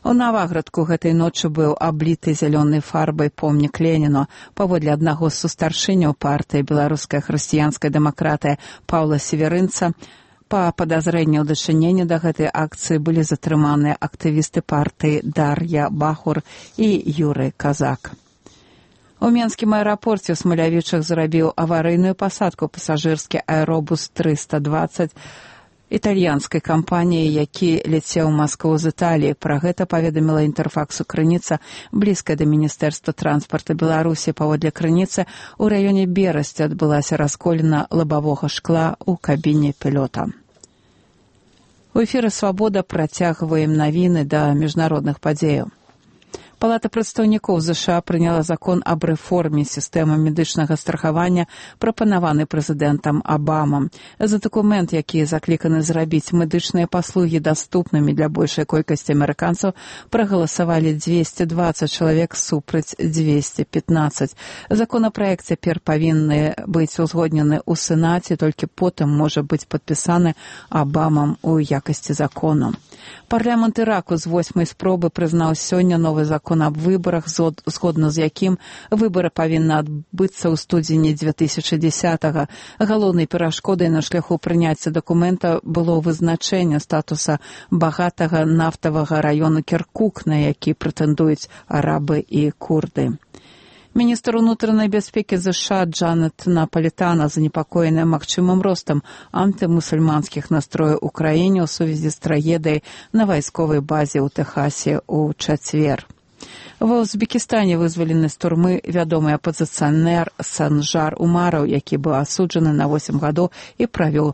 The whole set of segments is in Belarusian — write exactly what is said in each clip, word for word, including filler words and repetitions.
У Наваградку гэтай ночы быў абліты зялёнай фарбай помнік Леніну. Паводле аднаго з сустаршыняў партыі «Беларуская хрысціянская дэмакратыя» Паўла Северынца, па падазрэнні ў дачыненні да гэтай акцыі былі затрыманыя актывісты партыі Дар'я Бахур і Юрый Казак. У Менскім аэрапорце ў Смалявічах зрабіў аварыйную пасадку пасажырскі аэробус трыста дваццаць італьянскай кампаніі, які ляцеў у Маскву з Італіі. Пра гэта паведаміла Інтэрфаксу крыніца, блізкая да Міністэрства транспарта Беларусі. Паводле крыніцы, у раёне Берасці адбылася расколіна лабавога шкла ў кабіне пілота. У эфіры «Свабода» працягваем навіны да міжнародных падзеяў. Палата прадстаўнікоў ЗША прыняла закон аб рэформе сістэмы медычнага страхавання, прапанаваны прэзідэнтам Абама. За дакумент, які закліканы зрабіць медычныя паслугі даступнымі для большай колькасці амерыканцаў, прагаласавалі дзвесце дваццаць чалавек супраць дзвесце пятнаццаць. Законапраект цяпер павінны быць узгоднены ў Сенаце, толькі потым можа быць падпісаны Абамам у якасці закону. Парламент Іраку з восьмай спробы прызнаў сёння новы закон аб выбарах, згодна з якім выбары павінны адбыцца ў студзені дзве тысячы дзесятага. Галоўнай перашкодай на шляху прыняцця дакумента было вызначэнне статуса багатага нафтавага раёну Кіркук, на які прэтэндуюць арабы і курды. Міністр унутранай бяспекі ЗША Джанет Напалітана занепакоеная магчымым ростам антымусульманскіх настрояў у краіне ў сувязі з трагедыяй на вайсковай базе ў Тэхасе ў чацвер. Ва Узбекістане вызвалены з турмы вядомы апазіцыянер Санжар Умараў, які быў асуджаны на восем гадоў і правёў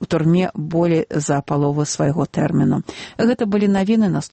у турме болей за палову свайго тэрміну. Гэта былі навіны, на